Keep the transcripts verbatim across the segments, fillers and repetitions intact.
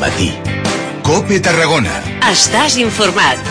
matí. COPE Tarragona. Estàs informat.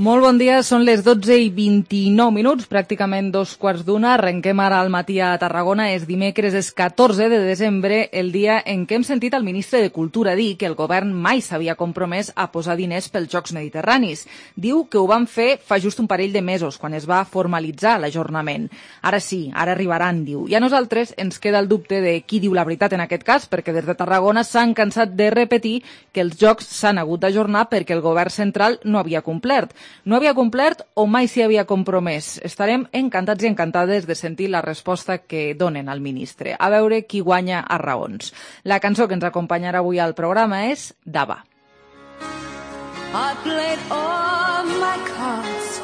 Molt bon dia, són les dotze i vint-i-nou minuts, pràcticament dos quarts d'una. Arrenquem ara al matí a Tarragona. És dimecres, és catorze de desembre, el dia en què hem sentit el ministre de Cultura dir que el govern mai s'havia compromès a posar diners pels Jocs Mediterranis. Diu que ho van fer fa just un parell de mesos, quan es va formalitzar l'ajornament. Ara sí, ara arribaran, diu. I a nosaltres ens queda el dubte de qui diu la veritat en aquest cas, perquè des de Tarragona s'han cansat de repetir que els Jocs s'han hagut d'ajornar perquè el govern central no havia complert. No havia complert o mai s'hi havia compromès? Estarem encantats i encantades de sentir la resposta que donen al ministre. A veure qui guanya a raons. La cançó que ens acompanyarà avui al programa és Dava. I played all my cards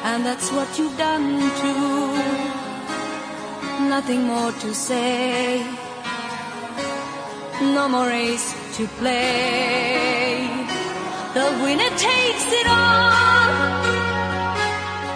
and that's what you've done too. Nothing more to say. No more race to play. The winner takes it all.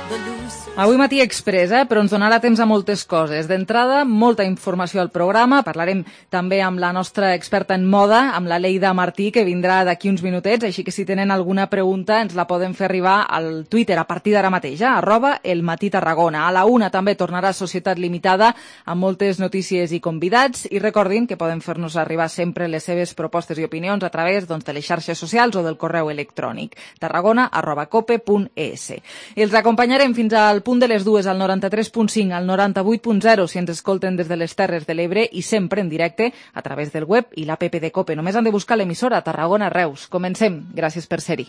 The loser... Avui matí express, eh? Però ens donarà temps a moltes coses. D'entrada, molta informació al programa. Parlarem també amb la nostra experta en moda, amb la Leida Martí, que vindrà d'aquí uns minutets. Així que si tenen alguna pregunta ens la poden fer arribar al Twitter a partir d'ara mateix, eh? arroba el matí Tarragona. A la una també tornarà Societat Limitada amb moltes notícies i convidats. I recordin que poden fer-nos arribar sempre les seves propostes i opinions a través doncs, de les xarxes socials o del correu electrònic tarragona arroba cope punt es. I els acompanyarem fins al punt de les dues al noranta-tres punt cinc, al noranta-vuit punt zero si ens escolten des de les Terres de l'Ebre i sempre en directe a través del web i l'app de COPE. Només han de buscar l'emissora Tarragona Reus. Comencem. Gràcies per ser-hi.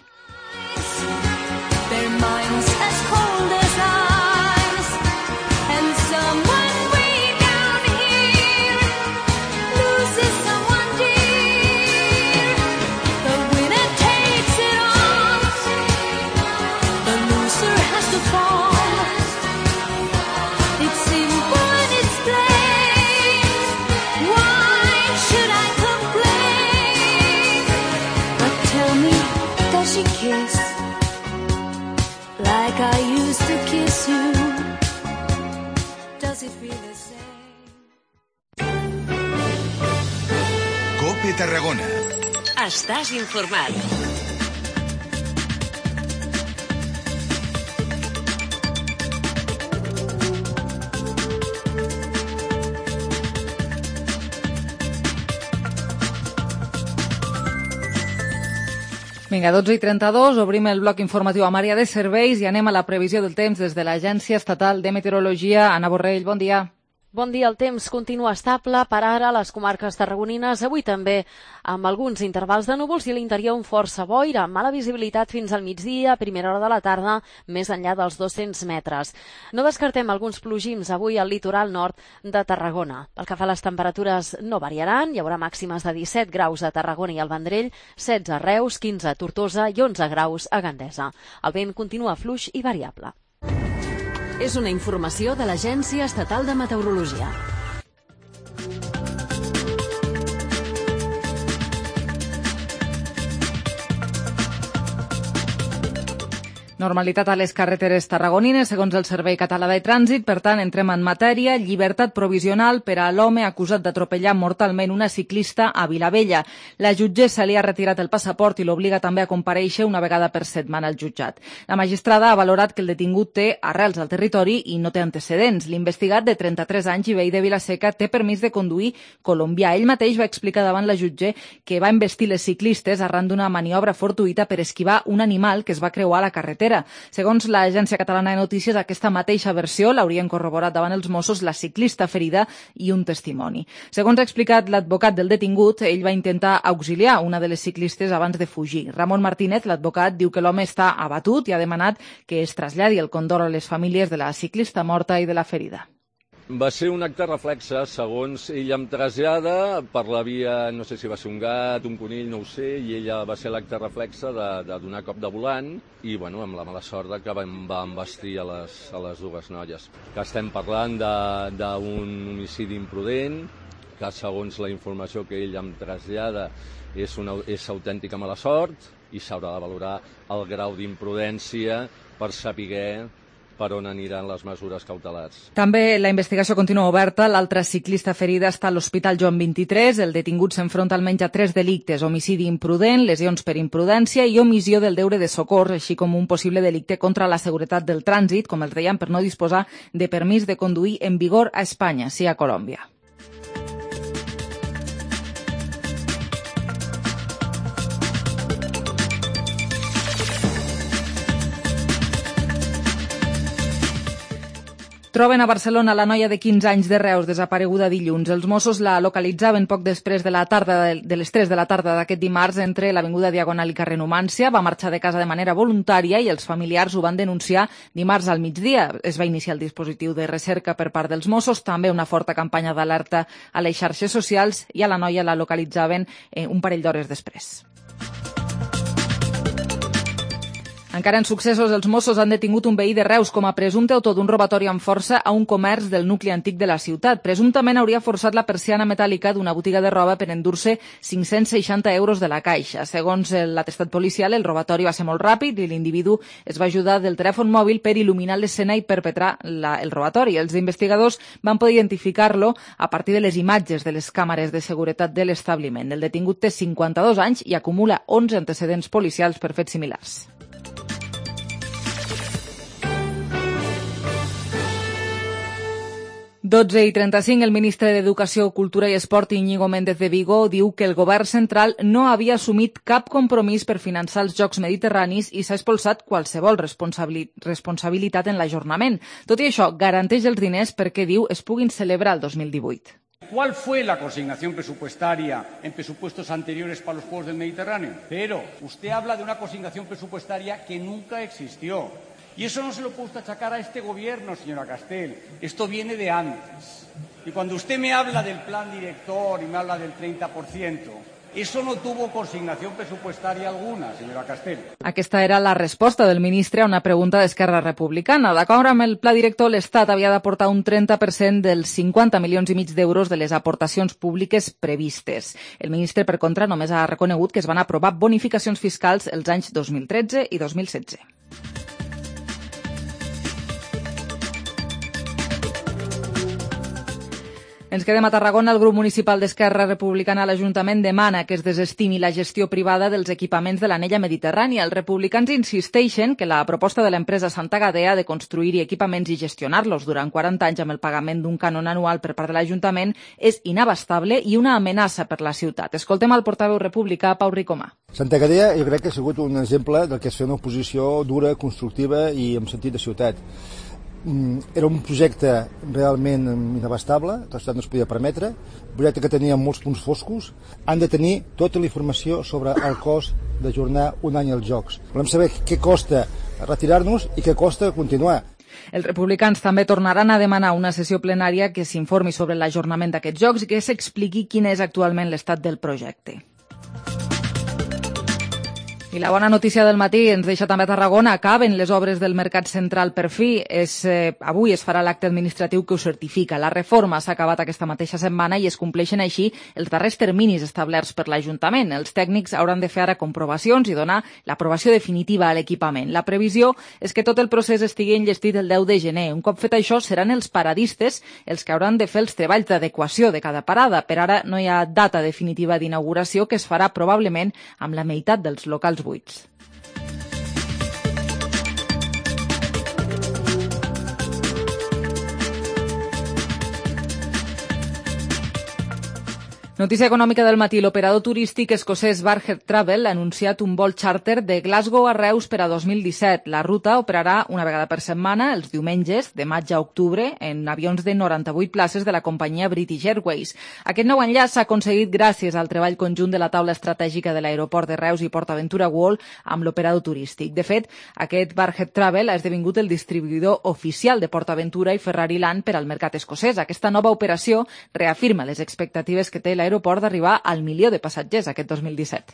Like I used to kiss you. Does it feel the same? COPE Tarragona. Estàs informat. Vinga, dotze i trenta-dos, obrim el bloc informatiu amb àrea de serveis i anem a la previsió del temps des de l'Agència Estatal de Meteorologia. Anna Borrell, bon dia. Bon dia, el temps continua estable per ara a les comarques tarragonines, avui també amb alguns intervals de núvols i a l'interior un força boira, mala visibilitat fins al migdia, a primera hora de la tarda, més enllà dels dos-cents metres. No descartem alguns plogims avui al litoral nord de Tarragona. Pel que fa a les temperatures no variaran, hi haurà màximes de disset graus a Tarragona i al Vendrell, setze a Reus, quinze a Tortosa i onze graus a Gandesa. El vent continua fluix i variable. És una informació de l'Agència Estatal de Meteorologia. Normalitat a les carreteres tarragonines, segons el Servei Català de Trànsit. Per tant, entrem en matèria. Llibertat provisional per a l'home acusat d'atropellar mortalment una ciclista a Vilavella. La jutgessa li ha retirat el passaport i l'obliga també a comparèixer una vegada per setmana al jutjat. La magistrada ha valorat que el detingut té arrels al territori i no té antecedents. L'investigat, de trenta-tres anys i veí de Vilaseca, té permís de conduir colombià. Ell mateix va explicar davant la jutge que va investir les ciclistes arran d'una maniobra fortuïta per esquivar un animal que es va creuar a la carretera. Segons l'Agència Catalana de Notícies, aquesta mateixa versió l'haurien corroborat davant els Mossos la ciclista ferida i un testimoni. Segons ha explicat l'advocat del detingut, ell va intentar auxiliar una de les ciclistes abans de fugir. Ramon Martínez, l'advocat, diu que l'home està abatut i ha demanat que es traslladi el condol a les famílies de la ciclista morta i de la ferida. Va ser un acte reflexe, segons ella em trasllada, per la via, no sé si va ser un gat, un conill, no ho sé, i ella va ser l'acte reflexe de, de donar cop de volant i, bueno, amb la mala sort que va, va embestir a les, a les dues noies. Que estem parlant d'un homicidi imprudent, que segons la informació que ell em trasllada és, una, és autèntica mala sort i s'haurà de valorar el grau d'imprudència per saber per on aniran les mesures cautelars. També la investigació continua oberta. L'altra ciclista ferida està a l'Hospital Joan vint-i-tres. El detingut s'enfronta almenys a tres delictes: homicidi imprudent, lesions per imprudència i omissió del deure de socors, així com un possible delicte contra la seguretat del trànsit, com els dèiem, per no disposar de permís de conduir en vigor a Espanya, sí a Colòmbia. Troben a Barcelona la noia de quinze anys de Reus, desapareguda dilluns. Els Mossos la localitzaven poc després de la tarda de les tres de la tarda d'aquest dimarts entre l'Avinguda Diagonal i carrer Numància. Va marxar de casa de manera voluntària i els familiars ho van denunciar dimarts al migdia. Es va iniciar el dispositiu de recerca per part dels Mossos, també una forta campanya d'alerta a les xarxes socials, i a la noia la localitzaven eh, un parell d'hores després. Encara en successos, els Mossos han detingut un veí de Reus com a presumpte autor d'un robatori amb força a un comerç del nucli antic de la ciutat. Presumptament hauria forçat la persiana metàl·lica d'una botiga de roba per endur-se cinc-cents seixanta euros de la caixa. Segons l'atestat policial, el robatori va ser molt ràpid i l'individu es va ajudar del telèfon mòbil per il·luminar l'escena i perpetrar la, el robatori. Els investigadors van poder identificar-lo a partir de les imatges de les càmeres de seguretat de l'establiment. El detingut té cinquanta-dos anys i acumula onze antecedents policials per fets similars. dotze i trenta-cinc, el ministre d'Educació, Cultura i Esport, Íñigo Méndez de Vigo, diu que el govern central no havia assumit cap compromís per finançar els Jocs Mediterranis i s'ha expulsat qualsevol responsabilitat en l'ajornament. Tot i això, garanteix els diners perquè, diu, es puguin celebrar el dos mil divuit. ¿Cuál fue la consignación presupuestaria en presupuestos anteriores para los Juegos del Mediterráneo? Pero usted habla de una consignación presupuestaria que nunca existió. Y eso no se lo puede achacar a este gobierno, señora Castel. Esto viene de antes. Y cuando usted me habla del plan director y me habla del treinta por ciento, eso no tuvo consignación presupuestaria alguna, señora Castel. Aquesta era la resposta del ministre a una pregunta d'Esquerra Republicana. D'acord amb el pla director, l'Estat havia d'aportar un trenta per cent dels cinquanta milions i mig d'euros de les aportacions públiques previstes. El ministre, per contra, només ha reconegut que es van aprovar bonificacions fiscals els anys dos mil tretze i dos mil setze. Ens quedem a Tarragona. El grup municipal d'Esquerra Republicana a l'Ajuntament demana que es desestimi la gestió privada dels equipaments de l'anella mediterrània. Els republicans insisteixen que la proposta de l'empresa Santa Gadea de construir-hi equipaments i gestionar-los durant quaranta anys amb el pagament d'un cànon anual per part de l'Ajuntament és inabastable i una amenaça per la ciutat. Escoltem el portaveu republicà, Pau Ricomà. Santa Gadea jo crec que ha sigut un exemple del que és fer una oposició dura, constructiva i amb sentit de ciutat. Era un projecte realment inabastable, la ciutat no es podia permetre, un projecte que tenia molts punts foscos. Han de tenir tota la informació sobre el cost d'ajornar un any els Jocs. Volem saber què costa retirar-nos i què costa continuar. Els republicans també tornaran a demanar una sessió plenària que s'informi sobre l'ajornament d'aquests Jocs i que s'expliqui quin és actualment l'estat del projecte. I la bona notícia del matí ens deixa també a Tarragona. Acaben les obres del Mercat Central per fi. És, eh, avui es farà l'acte administratiu que ho certifica. La reforma s'ha acabat aquesta mateixa setmana i es compleixen així els darrers terminis establerts per l'Ajuntament. Els tècnics hauran de fer ara comprovacions i donar l'aprovació definitiva a l'equipament. La previsió és que tot el procés estigui enllestit el deu de gener. Un cop fet això, seran els paradistes els que hauran de fer els treballs d'adequació de cada parada. Per ara no hi ha data definitiva d'inauguració, que es farà probablement amb la meitat dels locals buits. Notícia econòmica del matí. L'operador turístic escocès Barhead Travel ha anunciat un vol xàrter de Glasgow a Reus per a dos mil disset. La ruta operarà una vegada per setmana, els diumenges, de maig a octubre, en avions de noranta-vuit places de la companyia British Airways. Aquest nou enllaç s'ha aconseguit gràcies al treball conjunt de la taula estratègica de l'aeroport de Reus i PortAventura World amb l'operador turístic. De fet, aquest Barhead Travel ha esdevingut el distribuïdor oficial de PortAventura i Ferrari Land per al mercat escocès. Aquesta nova operació reafirma les expectatives que té la aeroport d'arribar al milió de passatgers aquest dos mil disset.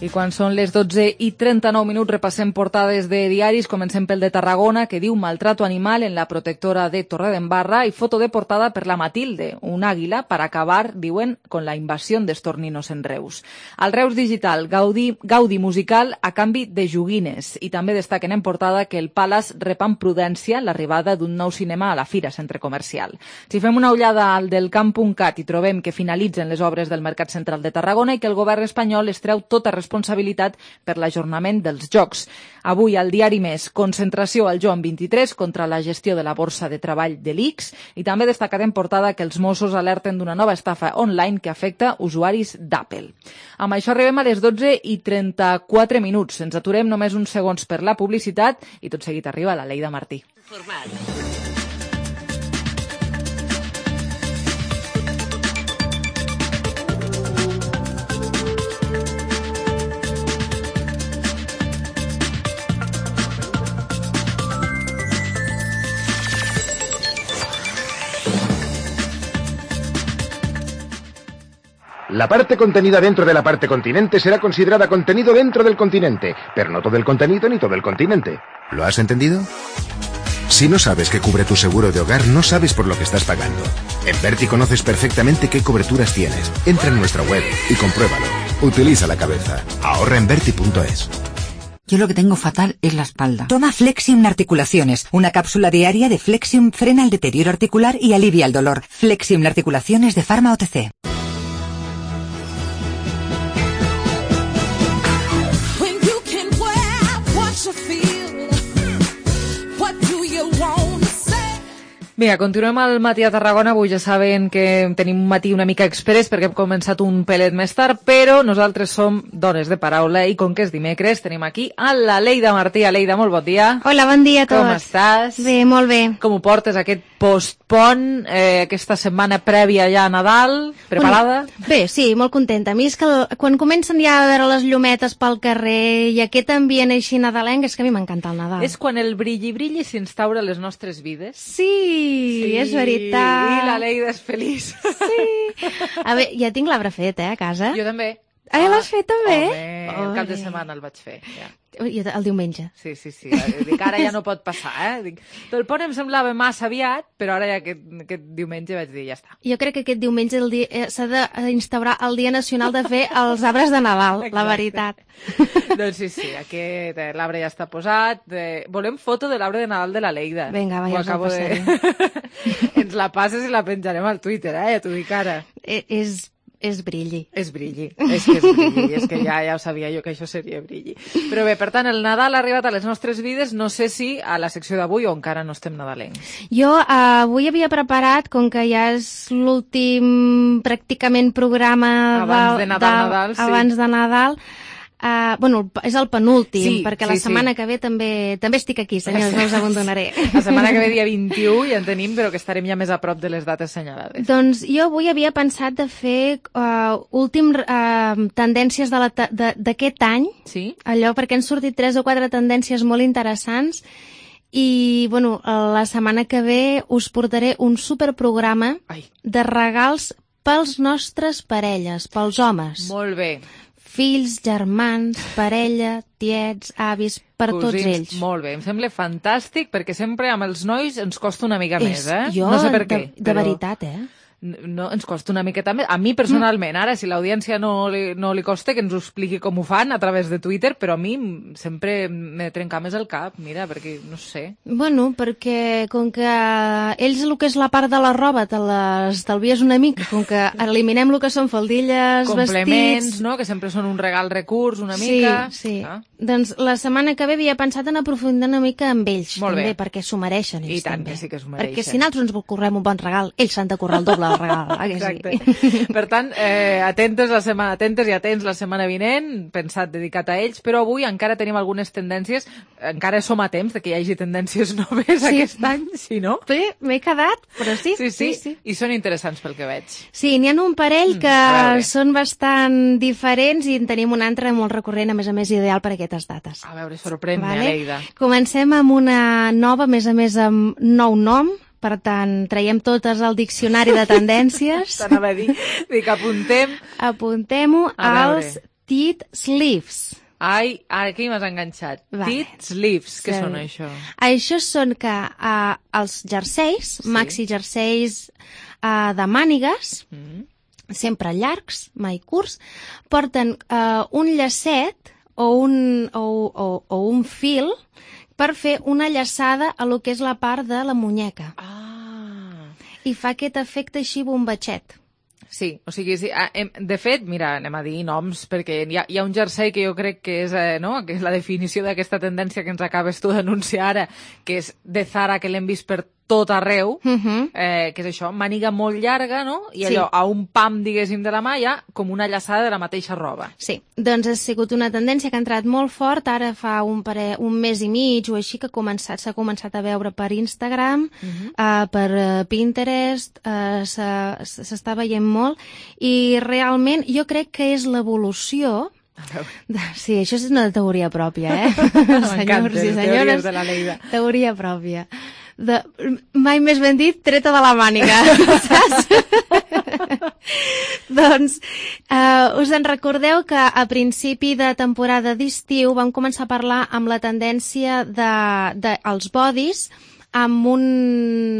I quan són les dotze i trenta-nou minuts repassem portades de diaris. Comencem pel de Tarragona, que diu maltrato animal en la protectora de Torredembarra, i foto de portada per la Matilde, un àguila per acabar, diuen, con la invasión d'estorninos en Reus. Al Reus Digital, Gaudi, Gaudi musical a canvi de joguines. I també destaquen en portada que el Palace rep amb prudència l'arribada d'un nou cinema a la Fira Centre Comercial. Si fem una ullada al del camp punt cat i trobem que finalitzen les obres del Mercat Central de Tarragona i que el govern espanyol es treu tota responsabilitat responsabilitat per l'ajornament dels Jocs. Avui al diari Més, concentració al Joan vint-i-tres contra la gestió de la borsa de treball de l'I C S, i també destacat en portada que els Mossos alerten d'una nova estafa online que afecta usuaris d'Apple. Amb això arribem a les dotze i trenta-quatre minuts. Ens aturem només uns segons per la publicitat i tot seguit arriba la Leida Martí. La parte contenida dentro de la parte continente será considerada contenido dentro del continente, pero no todo el contenido ni todo el continente. ¿Lo has entendido? Si no sabes qué cubre tu seguro de hogar, no sabes por lo que estás pagando. En Berti conoces perfectamente qué coberturas tienes. Entra en nuestra web y compruébalo. Utiliza la cabeza. Ahorra en Berti punto es. Yo lo que tengo fatal es la espalda. Toma Flexium Articulaciones. Una cápsula diaria de Flexium frena el deterioro articular y alivia el dolor. Flexium Articulaciones de Pharma O T C. Vinga, continuem al matí a Tarragona. Avui ja saben que tenim un matí una mica express perquè hem començat un pelet més tard, però nosaltres som dones de paraula i com que és dimecres tenim aquí a la Leida Martí. Leida, molt bon dia. Hola, bon dia a tots. Com estàs? Bé, molt bé. Com ho portes aquest postpont, eh, aquesta setmana prèvia ja a Nadal? Preparada? Bueno, bé, sí, molt contenta. A mi és que el, quan comencen ja a veure les llumetes pel carrer i aquest ambient així nadalenc, és que a mi m'encanta el Nadal. És quan el brilli-brilli s'instaura a les nostres vides. Sí, sí, és veritat. I la Leida és feliç. Sí. A veure, ja tinc l'arbre fet, eh, a casa. Jo també. Ah, ja l'has fet també? Home, el cap de setmana el vaig fer, ja. El diumenge. Sí, sí, sí. Dic, ara ja no pot passar, eh? Dic, el pont em semblava massa aviat, però ara ja aquest, aquest diumenge vaig dir, ja està. Jo crec que aquest diumenge el dia, eh, s'ha d'instaurar el Dia Nacional de fer els arbres de Nadal, exacte. La veritat. Doncs sí, sí, aquest eh, l'arbre ja està posat. Eh, volem foto de l'arbre de Nadal de la Leida. Vinga, va, ja us el passaré. De... Ens la passes i la penjarem al Twitter, eh? Ja t'ho dic ara. Eh, és... És brilli. És brilli, és que és brilli, és que ja, ja ho sabia jo que això seria brilli. Però bé, per tant, el Nadal ha arribat a les nostres vides, no sé si a la secció d'avui o encara no estem nadalencs. Jo uh, avui havia preparat, com que ja és l'últim pràcticament programa abans de Nadal, de, Nadal, sí. abans de Nadal, Uh, bueno, és el penúltim, sí, perquè sí, la setmana sí. que ve també també estic aquí, senyors, no us abandonaré. La setmana que ve, dia vint-i-u, ja en tenim, però que estarem ja més a prop de les dates assenyalades. Doncs jo avui havia pensat de fer uh, últim uh, tendències d'aquest any, sí? Allò, perquè han sortit tres o quatre tendències molt interessants, i bueno, la setmana que ve us portaré un superprograma Ai. de regals pels nostres parelles, pels homes. Molt bé. Fills, germans, parella, tiets, avis, per Cosins, tots ells. Molt bé, em sembla fantàstic perquè sempre amb els nois ens costa una mica és, més, eh? Jo, no sé per què. De, de però... veritat, eh? No, ens costa una miqueta més. A mi personalment, ara, si l'audiència no, li, no li costa, que ens ho expliqui com ho fan a través de Twitter, però a mi sempre me trenca més el cap, mira, perquè no sé. Bueno, perquè com que ells el que és la part de la roba te l'estalvies una mica, com que eliminem el que són faldilles, complements, vestits... no?, que sempre són un regal recurs una sí, mica. Sí, sí. Ah. Doncs la setmana que ve havia pensat en aprofundir una mica amb ells, Molt també, bé. perquè s'ho mereixen ells. I tant, també. que sí que s'ho mereixen. Perquè si nosaltres ens correm un bon regal, ells s'han de currar el doble del regal. Exacte. Sí? Per tant, eh, atentes, la setmana, atentes i atents la setmana vinent, pensat dedicat a ells, però avui encara tenim algunes tendències, encara som a temps de que hi hagi tendències noves sí. aquest any, si no? Sí, m'he quedat, però sí. Sí, sí, sí, sí. I són interessants pel que veig. Sí, n'hi ha un parell que mm, són bastant diferents i en tenim un altre molt recurrent, a més a més ideal per a aquestes dates. A veure, sorprèn-me, vale? Leida. Comencem amb una nova, a més a més amb nou nom, per tant, traiem totes al diccionari de tendències. T'anava a dir, dic, apuntem. Apuntem-ho als tit sleeves. Ai, aquí m'has enganxat. Vale. Tit sleeves, què Sí. són això? Això són que uh, els jerseis, Sí. maxi jerseis uh, de mànigues, Mm. sempre llargs, mai curts, porten uh, un llacet o un, o, o, o un fil per fer una llaçada a lo que és la part de la muñeca. Ah. I fa aquest efecte així bombatxet. Sí, o sigui, sí, ah, hem, de fet, mira, anem a dir noms, perquè hi ha, hi ha un jersei que jo crec que és, eh, no?, que és la definició d'aquesta tendència que ens acabes tu d'anunciar ara, que és de Zara, que l'hem vist per tot arreu, Uh-huh. eh, que és això, màniga molt llarga, no?, i Sí. allò, a un pam, diguéssim, de la mà, hi ha com una llaçada de la mateixa roba. Sí, doncs ha sigut una tendència que ha entrat molt fort, ara fa un, pare, un mes i mig o així que ha començat, s'ha començat a veure per Instagram, Mhm. uh, per uh, Pinterest, uh, s'està veient molt, i realment jo crec que és l'evolució. Sí, això és una teoria pròpia, eh? M'encanten, Senyors i les teories senyores, de la Leida. teoria pròpia. De, mai més ben dit, treta de la màniga, saps? Doncs eh, us en recordeu que a principi de temporada d'estiu vam començar a parlar amb la tendència de, de els bodys amb un,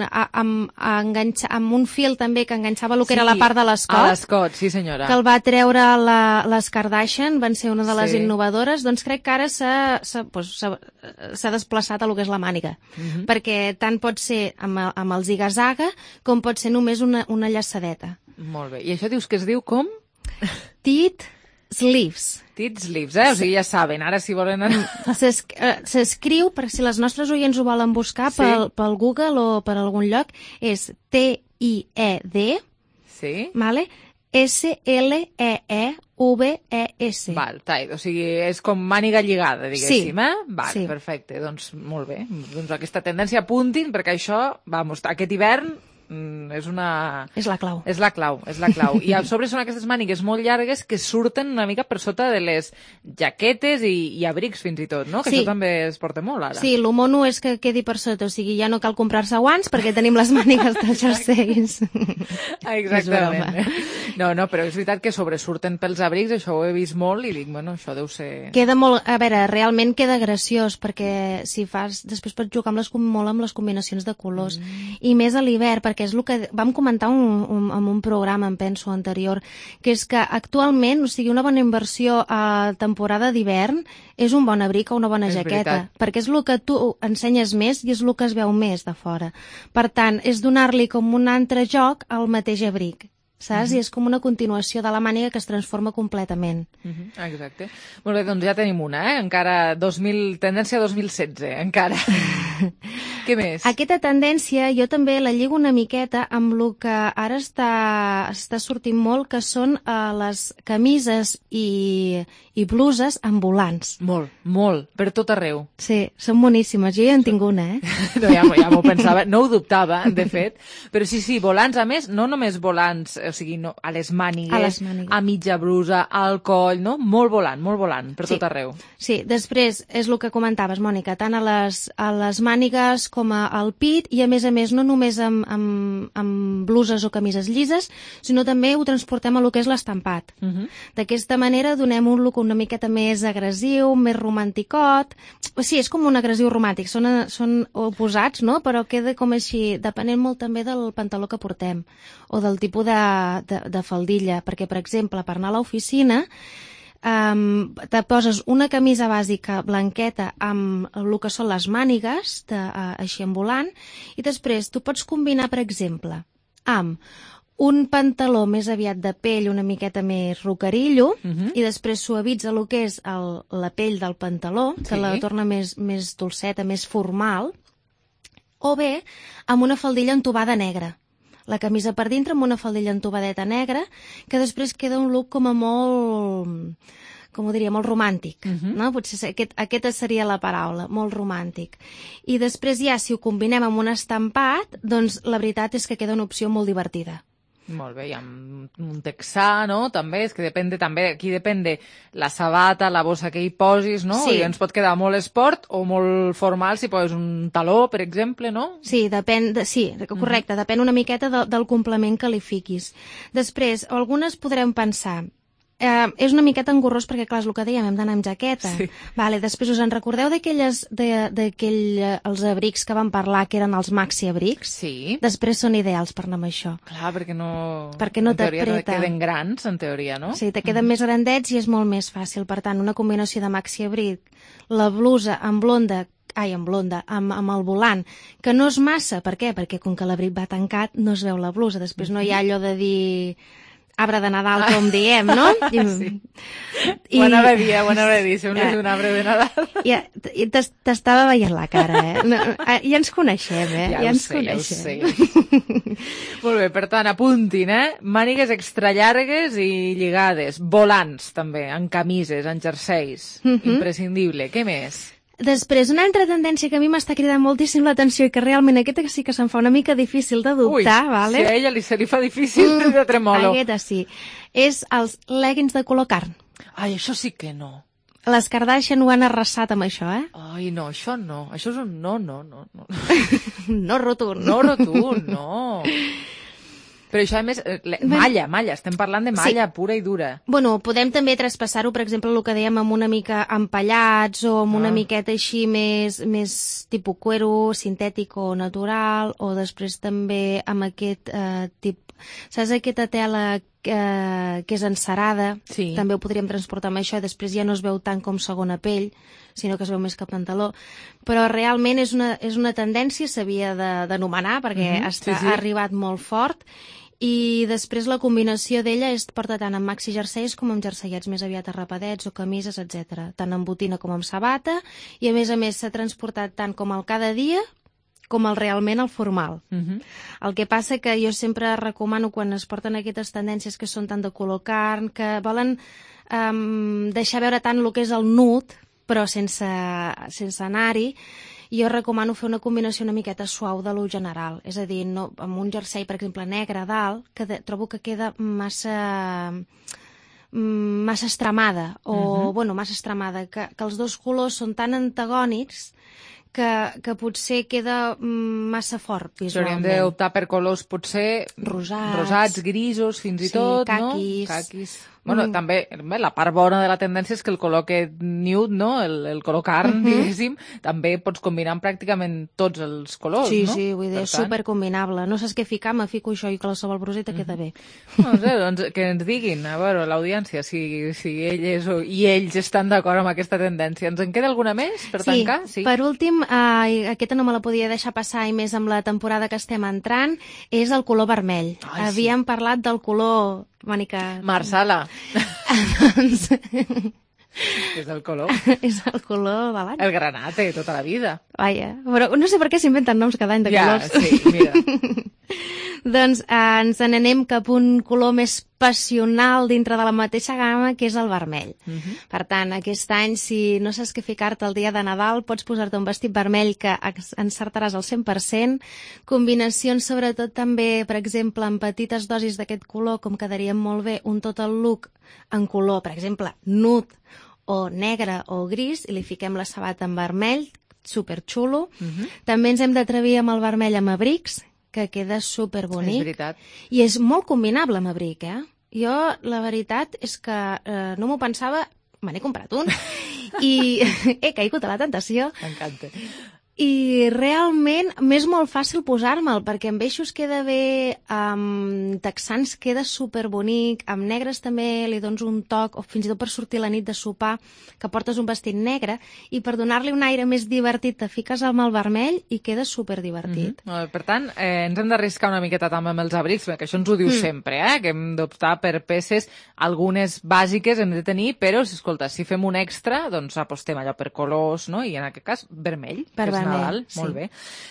a, amb, a enganxa, amb un fil també que enganxava el que era la part de l'escot. A l'escot, sí senyora. Que el va treure la, les Kardashian, van ser una de les Sí. innovadores, doncs crec que ara s'ha s'ha pues, s'ha- s'ha desplaçat a lo que és la màniga. Mhm. Perquè tant pot ser amb, el- amb el ziga-zaga com pot ser només una, una llaçadeta. Molt bé. I això dius que es diu com? Tit sleeves. Tit sleeves, eh? O sigui, ja saben, ara si volen... S'es- eh, S'escriu, per si les nostres oients ho volen buscar Sí. pel, pel Google o per algun lloc, és T I E D, Sí? vale? S L E E V E S. Val, tight, o sigui, és com màniga lligada, diguéssim, Sí. eh? Val, Sí. perfecte, doncs molt bé. Doncs aquesta tendència apuntin, perquè això, vamos, aquest hivern mm, és una... És la clau. És la clau, és la clau. I a sobre són aquestes mànigues molt llargues que surten una mica per sota de les jaquetes i, i abrics fins i tot, no? Que Sí. això també es porta molt ara. Sí, lo mono és que quedi per sota, o sigui, ja no cal comprar-se guants perquè tenim les mànigues dels jerseis. Ah, És exactament. broma. No, no, però és veritat que sobresurten pels abrics, això ho he vist molt i dic, bueno, això deu ser... Queda molt, a veure, realment queda graciós perquè si fas, després pots jugar amb les, com- molt amb les combinacions de colors mm. i més a l'hivern, perquè és el que vam comentar un, un, en un programa, em penso, anterior, que és que actualment, o sigui, una bona inversió a temporada d'hivern és un bon abric o una bona És jaqueta, veritat. perquè és el que tu ensenyes més i és el que es veu més de fora. Per tant, és donar-li com un altre joc al mateix abric, saps? Mhm. I és com una continuació de la màniga que es transforma completament. Mhm, exacte. Molt bé, doncs ja tenim una, eh? Encara dos mil, tendència dos mil setze, encara. Què més? Aquesta tendència jo també la lligo una miqueta amb el que ara està, està sortint molt, que són uh, les camises i, i bluses amb volants. Molt, molt, per tot arreu. Sí, són boníssimes. Jo ja en tinc una, eh? No, ja, m'ho- ja m'ho pensava, no ho dubtava, de fet. Però sí, sí, volants, a més, no només volants, o sigui, no, a les mànigues, A les mànigues. a mitja brusa, al coll, no? Molt volant, molt volant, per Sí. tot arreu. Sí, després és el que comentaves, Mònica, tant a les, a les mànigues com a, al pit i a més a més no només amb, amb, amb bluses o camises llises, sinó també ho transportem a lo que és l'estampat. Uh -huh. D'aquesta manera donem un look una miqueta més agressiu, més romanticot. O sigui, és com un agressiu romàntic, són, són oposats, no? Però queda com així, depenent molt també del pantaló que portem o del tipus de, de, de faldilla, perquè, per exemple, per anar a l'oficina Um, te poses una camisa bàsica blanqueta amb el que són les mànigues de, uh, així en volant i després tu pots combinar, per exemple, amb un pantaló més aviat de pell una miqueta més rocarillo Uh -huh. i després suavitza el que és el, la pell del pantaló, que Sí. la torna més, més dolceta, més formal, o bé amb una faldilla entubada negra. La camisa per dintre amb una faldilla entubadeta negra, que després queda un look com a molt, com ho diria, molt romàntic, uh -huh. no? Potser aquest, aquesta seria la paraula, molt romàntic. I després ja, si ho combinem amb un estampat, doncs la veritat és que queda una opció molt divertida. Molt bé, i amb un texà, no? També, és que depèn de, també, aquí depèn de la sabata, la bossa que hi posis, no? Sí. I ens pot quedar molt esport o molt formal si poses un taló, per exemple, no? Sí, depèn de, sí, correcte, mm. depèn una miqueta de, del complement que li fiquis. Després, algunes podrem pensar, eh, és una miqueta engorrós perquè, clar, és el que dèiem, hem d'anar amb jaqueta. Sí. Vale, després us en recordeu d'aquelles, d'aquell, els abrics que vam parlar, que eren els maxi abrics? Sí. Després són ideals per anar amb això. Clar, perquè no... Perquè no en teoria t'apreta. queden grans, en teoria, no? Sí, te queden mm. més grandets i és molt més fàcil. Per tant, una combinació de maxi abric, la blusa en blonda, ai, en blonda, amb, amb el volant, que no és massa, per què? Perquè com que l'abric va tancat no es veu la blusa, després no hi ha allò de dir arbre de Nadal, com diem, no? I, sí. I, ho anava a dir, ho anava a dir, sembles un arbre de Nadal. Ja, t'estava veient la cara, eh? No, ja ens coneixem, eh? Ja, ja ho ens sé, coneixem. ja ho sé. Molt bé, per tant, apuntin, eh? Mànigues extra llargues i lligades, volants també, en camises, en jerseis, Mhm. imprescindible. Què més? Després, una altra tendència que a mi m'està cridant moltíssim l'atenció i que realment aquesta sí que se'm fa una mica difícil d'adoptar, Ui, vale? si a ella li, se li fa difícil, mm, de tremolo. Aquesta sí. És els leggings de color carn. Ai, això sí que no. Les Kardashian ho han arrasat amb això, eh? Ai, no, això no. Això és un no, no, no. No, no rotund. No rotund, no. Però això, a més, malla, malla, estem parlant de malla sí. pura i dura. Bueno, podem també traspassar-ho, per exemple, el que dèiem, amb una mica empallats o amb una ah. miqueta així més, més tipus cuero, sintètic o natural, o després també amb aquest eh, tipus... Saps aquesta tela eh, que és encerada? Sí. També ho podríem transportar amb això i després ja no es veu tant com segona pell, sinó que es veu més que pantaló. Però realment és una, és una tendència, s'havia d'anomenar, perquè mm-hmm. està, sí, sí. ha arribat molt fort. I després la combinació d'ella es porta tant amb maxi jerseis com amb jerseiets més aviat arrapadets o camises, etcètera. Tant amb botina com amb sabata, i a més a més s'ha transportat tant com el cada dia com el realment el formal. Uh-huh. El que passa que jo sempre recomano quan es porten aquestes tendències que són tant de color carn, que volen um, deixar veure tant el que és el nud, però sense, sense anar-hi, jo recomano fer una combinació una miqueta suau de lo general. És a dir, no, amb un jersei, per exemple, negre a dalt, que de, trobo que queda massa massa estremada, o, uh-huh. bueno, massa estremada, que, que els dos colors són tan antagònics que, que potser queda massa fort visualment. Hauríem d'optar per colors potser rosats, rosats grisos, fins i sí, tot, caquis. no? Caquis. Bueno, mm. també, la part bona de la tendència és que el color que nude, no? El, el color carn, mm-hmm. diguéssim, també pots combinar amb pràcticament tots els colors, sí, no? Sí, sí, vull dir, és supercombinable. No saps què ficar, me fico això i qualsevol bruseta mm-hmm. queda bé. No sé, doncs que ens diguin, a veure, l'audiència, si, si elles o, i ells estan d'acord amb aquesta tendència. Ens en queda alguna més per sí, tancar? Sí, per últim, eh, aquesta no me la podia deixar passar, i més amb la temporada que estem entrant, és el color vermell. Ai, Havíem sí. parlat del color... Mònica... Marsala. Doncs... és el color. És el color de l'any. El granate, tota la vida. Vaja, però no sé per què s'inventen noms cada any de ja, colors. Ja, sí, mira. Doncs eh, ens n'anem cap a un color més passional dintre de la mateixa gamma, que és el vermell. Uh-huh. Per tant, aquest any, si no saps què ficar-te el dia de Nadal, pots posar-te un vestit vermell que encertaràs al cent per cent. Combinacions, sobretot, també, per exemple, amb petites dosis d'aquest color, com quedaria molt bé un total look en color, per exemple, nude o negre o gris, i li fiquem la sabata en vermell, superxulo. Uh-huh. També ens hem d'atrevir amb el vermell amb abrics, que queda superbonic. És veritat. I és molt combinable amb abric, eh? Jo, la veritat és que eh, no m'ho pensava, me n'he comprat un, i he caigut a la tentació. M'encanta. I realment m'és molt fàcil posar-me'l, perquè amb eixos queda bé, amb texans queda superbonic, amb negres també li dones un toc, o fins i tot per sortir la nit de sopar, que portes un vestit negre, i per donar-li un aire més divertit te fiques amb el vermell i queda superdivertit. Mm-hmm. Per tant, eh, ens hem d'arriscar una miqueta també amb els abrics, perquè això ens ho diu mm. sempre, eh? Que hem d'optar per peces, algunes bàsiques hem de tenir, però, escolta, si fem un extra, doncs apostem allò per colors, no? I en aquest cas, vermell. Per vermell. Nadal, sí. Molt bé.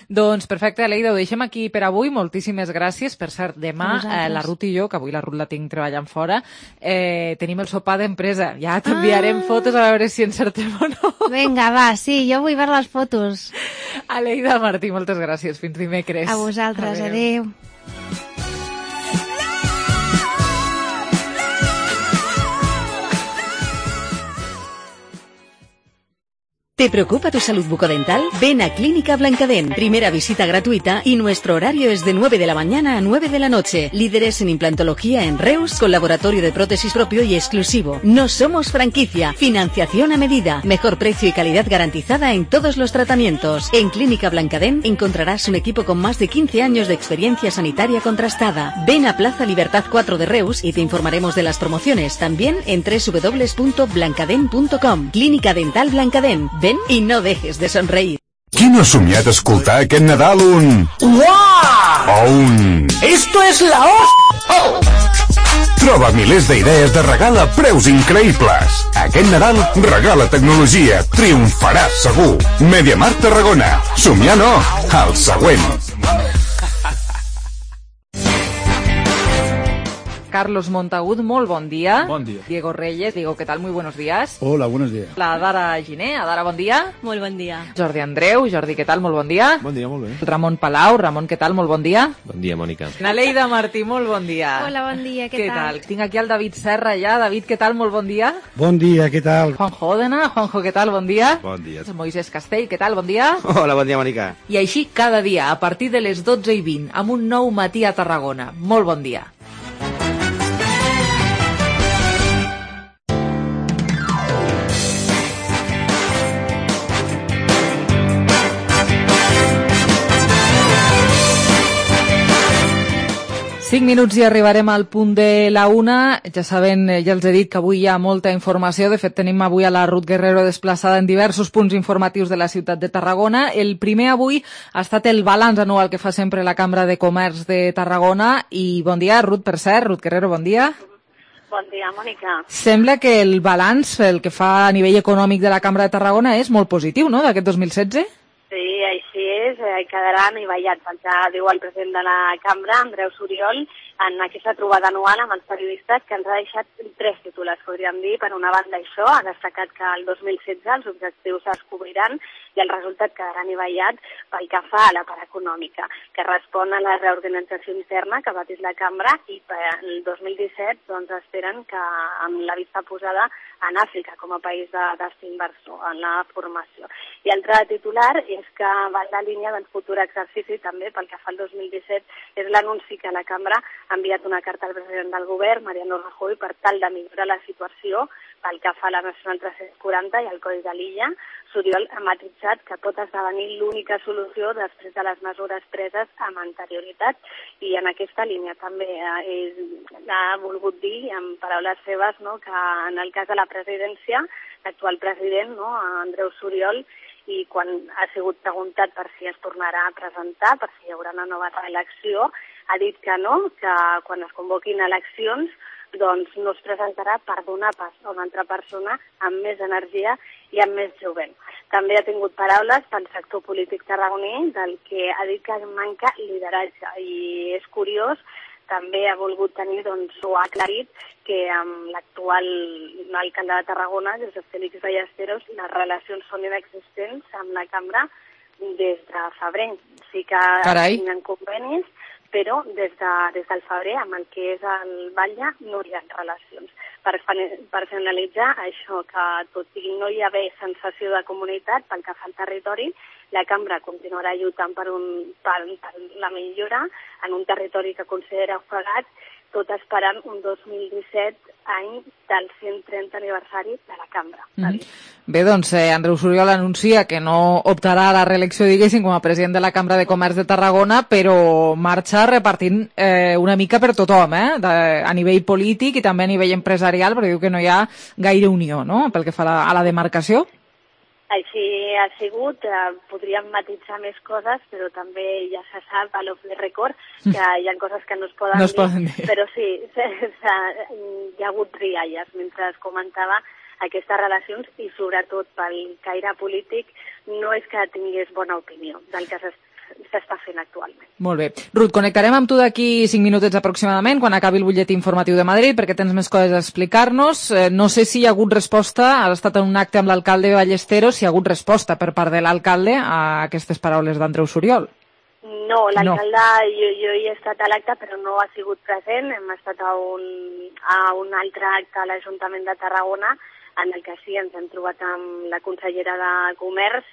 Doncs perfecte, Aleida, ho deixem aquí per avui. Moltíssimes gràcies. Per cert, demà eh, la Ruth i jo, que avui la Ruth la tinc treballant fora, eh, tenim el sopar d'empresa. Ja t'enviarem ah. fotos a veure si encertem o no. Vinga, va, sí, jo vull veure les fotos. Aleida Martí, moltes gràcies. Fins dimecres. A vosaltres, adéu. adéu. ¿Te preocupa tu salud bucodental? Ven a Clínica Blancadent. Primera visita gratuita y nuestro horario es de nueve de la mañana a nueve de la noche. Líderes en implantología en Reus con laboratorio de prótesis propio y exclusivo. No somos franquicia. Financiación a medida. Mejor precio y calidad garantizada en todos los tratamientos. En Clínica Blancadent encontrarás un equipo con más de quince años de experiencia sanitaria contrastada. Ven a Plaza Libertad cuatro de Reus y te informaremos de las promociones. También en doble u doble u doble u punto blancadent punto com. Clínica Dental Blancadent. Ven i no dejes de somreír. Qui no ha somiat escoltar aquest Nadal un... Uau! O un... Esto es la hostia! Oh! Troba milers d'idees de regal a preus increïbles. Aquest Nadal regala tecnologia. Triomfaràs segur. MediaMarkt Tarragona. Somiar no, el següent. Carlos Montagut, molt bon dia. Bon dia. Diego Reyes, Diego, ¿qué tal? Muy buenos días. Hola, buenos días. La Dara Giné, Adara, bon dia. Molt bon dia. Jordi Andreu, Jordi, què tal? Molt bon dia. Bon dia, molt bé. Ramon Palau, Ramon, què tal? Molt bon dia. Bon dia, Mònica. Naleida Martí, molt bon dia. Hola, bon dia, què, Què tal? tal? Tinc aquí el David Serra ja. David, què tal? Molt bon dia. Bon dia, què tal? Juanjo Òdena, Juanjo, què tal? Bon dia. Bon dia. Moisés Castell, què tal? Bon dia. Hola, bon dia, Mònica. I així cada dia, a partir de les dotze i vint, amb un nou matí a Tarragona. Molt bon dia. Cinc minuts i arribarem al punt de la una. Ja saben, ja els he dit que avui hi ha molta informació. De fet, tenim avui a la Ruth Guerrero desplaçada en diversos punts informatius de la ciutat de Tarragona. El primer avui ha estat el balanç anual que fa sempre la Cambra de Comerç de Tarragona. I bon dia, Ruth, per cert. Ruth Guerrero, bon dia. Bon dia, Mònica. Sembla que el balanç, el que fa a nivell econòmic de la Cambra de Tarragona, és molt positiu, no?, d'aquest dos mil setze? Sí, així és, eh, quedarà anivellat, pel que diu el president de la Cambra, Andreu Suriol, en aquesta trobada anual amb els periodistes, que ens ha deixat tres titulars, podríem dir. Per una banda, això, ha destacat que el dos mil setze els objectius es cobriran i el resultat quedarà anivellat pel que fa a la part econòmica, que respon a la reorganització interna que ha patit la Cambra, i per el dos mil disset doncs, esperen que, amb la vista posada en Àfrica com a país de destí inversor en la formació. I altre titular és que va en la línia del futur exercici també pel que fa al dos mil disset, és l'anunci que la Cambra ha enviat una carta al president del govern, Mariano Rajoy, per tal de millorar la situació pel que fa a la Nacional tres-cents quaranta i al Codi de l'Illa. Suriol ha matitzat que pot esdevenir l'única solució després de les mesures preses amb anterioritat, i en aquesta línia també eh, ha volgut dir, en paraules seves, no, que en el cas de la presidència, l'actual president, no, Andreu Suriol, i quan ha sigut preguntat per si es tornarà a presentar, per si hi haurà una nova reelecció, ha dit que no, que quan es convoquin eleccions doncs no es presentarà per donar pas a una altra persona amb més energia i amb més jovent. També ha tingut paraules pel sector polític tarragoní, del que ha dit que manca lideratge, i és curiós, també ha volgut tenir, doncs, ho ha aclarit, que amb l'actual alcalde de Tarragona, Josep Félix Ballesteros, les relacions són inexistents amb la Cambra des de febrer. Sí que signen convenis, però des, de, des del febrer, amb el que és el Batlle, no hi ha relacions. Per, per finalitzar, això, que tot i no hi ha bé sensació de comunitat pel que fa al territori, la Cambra continuarà lluitant per, un, per, per la millora en un territori que considera ofegat, tot esperant un dos mil disset, any del cent trenta aniversari de la Cambra. Mm-hmm. Bé, doncs, eh, Andreu Suriol anuncia que no optarà a la reelecció, diguéssim, com a president de la Cambra de Comerç de Tarragona, però marxa repartint eh, una mica per tothom, eh, de, a nivell polític i també a nivell empresarial, perquè diu que no hi ha gaire unió, no?, pel que fa a la, a la demarcació. Així ha sigut, eh, podríem matitzar més coses, però també ja se sap, a l'off the record, que hi ha coses que no es poden, no es dir, poden dir, però sí, hi ha hagut rialles mentre es comentava aquestes relacions, i sobretot pel caire polític no és que tingués bona opinió del que s'està fent actualment. Molt bé. Ruth, connectarem amb tu d'aquí cinc minutets aproximadament, quan acabi el butlletí informatiu de Madrid, perquè tens més coses a explicar-nos. Eh, no sé si hi ha hagut resposta, has estat en un acte amb l'alcalde Ballesteros, si hi ha hagut resposta per part de l'alcalde a aquestes paraules d'Andreu Suriol. No, l'alcalde, no. jo, jo hi he estat a l'acte, però no ha sigut present. Hem estat a un, a un altre acte a l'Ajuntament de Tarragona, en el que sí ens hem trobat amb la consellera de Comerç,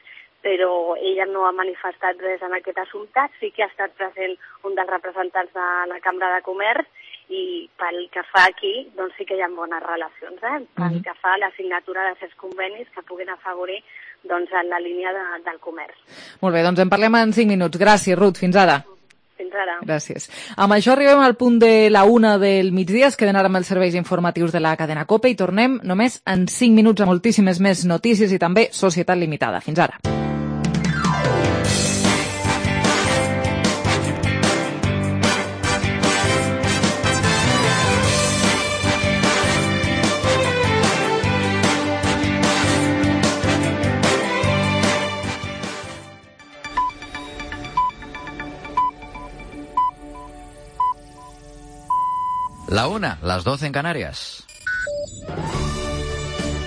però ella no ha manifestat res en aquest assumpte. Sí que ha estat present un dels representants de la Cambra de Comerç i pel que fa aquí, doncs sí que hi ha bones relacions, eh? Pel Mhm. que fa a la signatura de certs convenis que puguin afavorir doncs, en la línia de, del comerç. Molt bé, doncs en parlem en cinc minuts. Gràcies, Ruth. Fins ara. Fins ara. Gràcies. Amb això arribem al punt de la una del migdia. Es queden ara amb els serveis informatius de la cadena COPE i tornem només en cinc minuts a moltíssimes més notícies i també Societat Limitada. Fins ara. La una, las doce en Canarias.